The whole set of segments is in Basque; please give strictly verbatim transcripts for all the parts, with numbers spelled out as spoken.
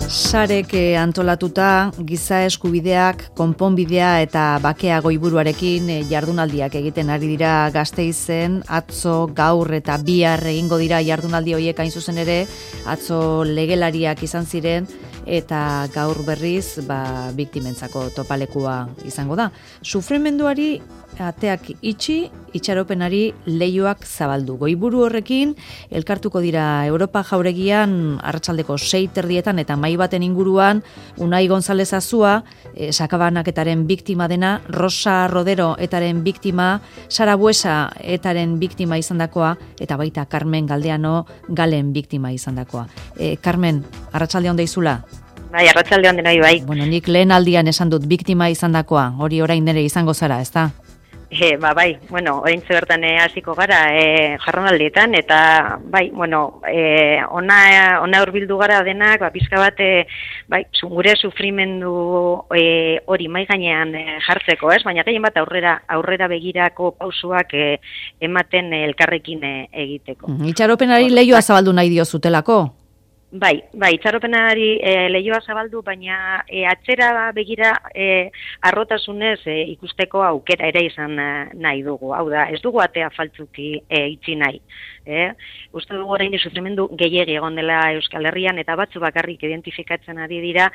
Sarek antolatuta giza eskubideak, konponbidea eta bakea goiburuarekin jardunaldiak egiten ari dira Gasteizen. Atzo, gaur eta bihar egingo dira jardunaldi horiek, hain zuzen ere, atzo legelariak izan ziren eta gaur berriz ba, biktimentzako topalekua izango da. Sufrimenduari ateak itxi, itxaropenari leihoak zabaldu. Goiburu horrekin elkartuko dira Europa jauregian arratsaldeko sei terdietan eta mai baten inguruan Unai González Azua, e, sakabanaketaren biktima dena, Rosa Rodero etaren biktima, Sara Buesa etaren biktima izandakoa eta baita Carmen Galdeano Galen biktima izandakoa. E, Carmen, arratsalde on deizula. Bai, arratsalde on denoi bai. Bueno, nik lehen aldian esan dut biktima izandakoa, hori orain nere izango zara, ezta? E, ba, bai, bueno, oraintxe bertan hasiko gara e, jarronaldietan, eta bai, bueno, e, ona, ona hurbildu gara denak, ba, pizka bat, e, bai, gure sufrimendu e, hori mai gainean e, jartzeko, ez? Baina gehien bat aurrera, aurrera begirako pausuak e, ematen e, elkarrekin e, egiteko. Itxaropenari leihoa zabaldu nahi diozutelako? Bai, bai, itxaropenari e, leihoa zabaldu, baina e, atzera begira e, arrotasunez e, ikusteko aukera ere izan e, nahi dugu. Hau da, ez dugu atea faltzuki e, itxi nahi. E? Uste dugu orain sufrimendu gehiegi egon dela Euskal Herrian eta batzu bakarrik identifikatzen ari dira,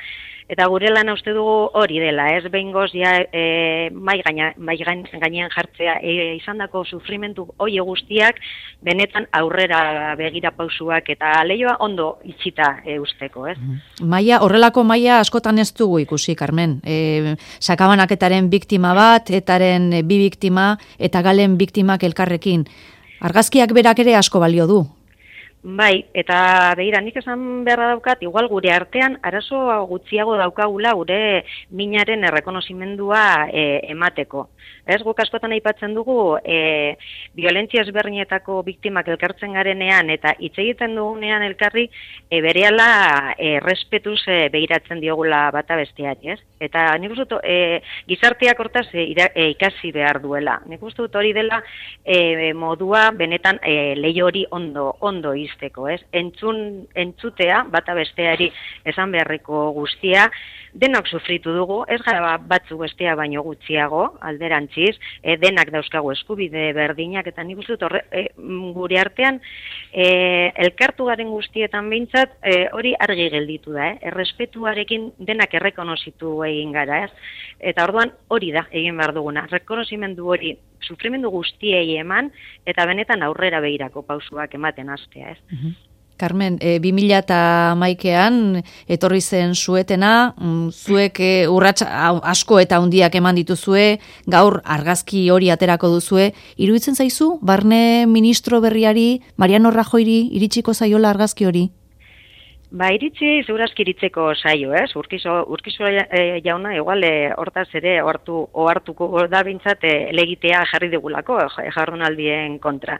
eta gure lana uste dugu hori dela, ez behingoz ja e, mai, gaina, mai gainean jartzea e, izandako sufrimendu hoi guztiak benetan aurrera begira pausuak eta leihoa ondo itxita e, usteko, ez? Maia, horrelako maila askotan ez dugu ikusi, Carmen. E, sakabanaketaren biktima bat, etaren bi biktima eta Galen biktimak elkarrekin. Argazkiak berak ere asko balio du. Bai, eta begira, nik esan beharra daukat, igual gure artean arazo gutxiago daukagula gure minaren errekonozimendua e, emateko. Ez, guk askotan aipatzen dugu, e, violentzia ezberdinetako biktimak elkartzen garenean eta hitz egiten dugunean elkarri, e, berehala e, respetuz e, begiratzen diogula bata besteari, ez? Eta nik uste dut, e, gizarteak hortaz e, ira, e, ikasi behar duela. Nik uste dut hori dela e, modua benetan e, leiho hori ondo, ondo izteko, ez? Entzun, entzutea, bata besteari esan beharreko guztia, denok sufritu dugu, ez gara batzu bestea baino gutxiago, alderantziz, e, denak dauzkagu eskubide berdinak, eta nik uste dut horre, e, gure artean, e, elkartu garen guztietan behintzat, e, hori argi gelditu da, eh? Errespetuarekin denak errekonozitu egin gara, ez? Eta orduan hori da egin behar duguna, rekonozimendu hori, sufrimendu guztiei eman, eta benetan aurrera begirako pausuak ematen hastea, ez? Uh-huh. Carmen, e, bi mila hamaikean etorri zen zuetena, zuek e, urrats asko eta handiak eman dituzue, gaur argazki hori aterako duzue, iruditzen zaizu, barne ministro berriari, Mariano Rajoyri, iritsiko zaiola argazki hori? Ba, iritsi, segurazki iritzeko saio, ez? Urkizo, urkizo e, jauna, igual, e, hortaz ere, ohartu, ohartuko da bintzat, e, legitea jarri digulako, e, jarronaldien kontra.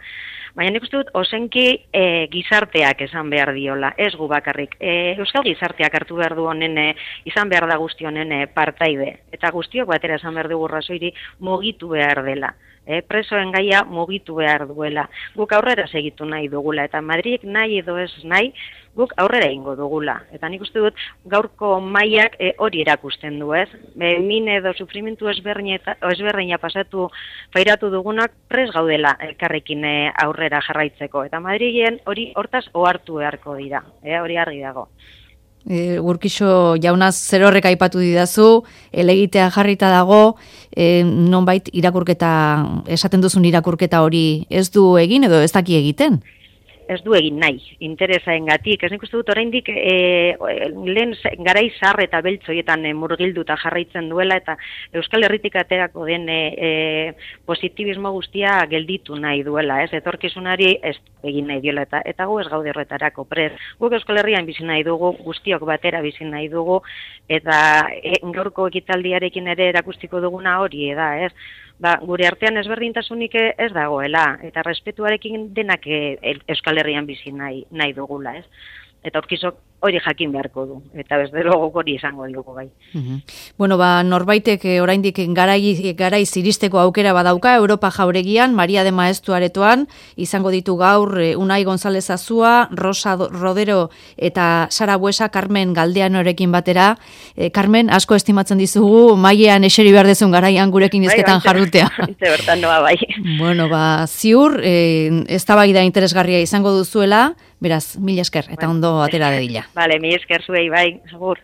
Baina nik uste dut, osenki e, gizarteak esan behar diola, ez gu bakarrik. E, Euskal gizarteak hartu behar du honen, e, izan behar da guzti honen e, partaide. Eta guztiok batera esan behar dugu Rajoyri mugitu behar dela. E, presoen gaia mugitu behar duela. Guk aurrera segitu nahi dugula, eta Madridek nahi edo ez nahi, guk aurrera ingo dugula. Eta nik uste dut, gaurko mailak e, hori erakusten du, ez? E, min edo sufrimentu ezberdina pasatu, fairatu dugunak pres gaudela elkarrekin e, aurrera jarraitzeko. Eta Madrilen hori hortaz ohartu beharko dira, e, hori argi dago. E, Urkixo jaunaz zer horrek aipatu didazu, elegitea jarrita dago, e, nonbait irakurketa, esaten duzun irakurketa hori ez du egin edo ez daki egiten? Ez du egin nahi, interesaengatik. Ez nik uste dut oraindik e, lehen garai zahar eta beltzoietan e, murgilduta jarraitzen duela eta Euskal Herritik aterako den e, e, positibismo guztia gelditu nahi duela, ez? Etorkizunari ez egin nahi diola eta eta gu ez gaude horretarako prez. Guk Euskal Herrian bizi nahi dugu, guztiok batera bizi nahi dugu eta e, gaurko ekitaldiarekin ere erakustiko duguna hori da, ez? Ba, gure artean ezberdintasunik ez dagoela, eta respetuarekin denak Euskal Herrian bizi nahi, nahi dugula, ez? Eta Urkizok hori jakin beharko du, eta bez delogo hori izango diogu bai. Mm-hmm. Bueno, ba, norbaitek oraindik garai, garaiz iristeko aukera badauka, Europa jauregian, Maria de Maestu aretoan, izango ditu gaur Unai González Azua, Rosa Rodero eta Sara Buesa, Carmen Galdeanorekin batera. E, Carmen, asko estimatzen dizugu, mailean eseri behar dezun garaian gurekin izketan jarrutea. Ite bertan noa bai. Bueno, ba, ziur, e, eztabaida interesgarria izango duzuela, beraz, mila esker, eta ondo atera dedila. Vale, mila esker zuei bai, segur.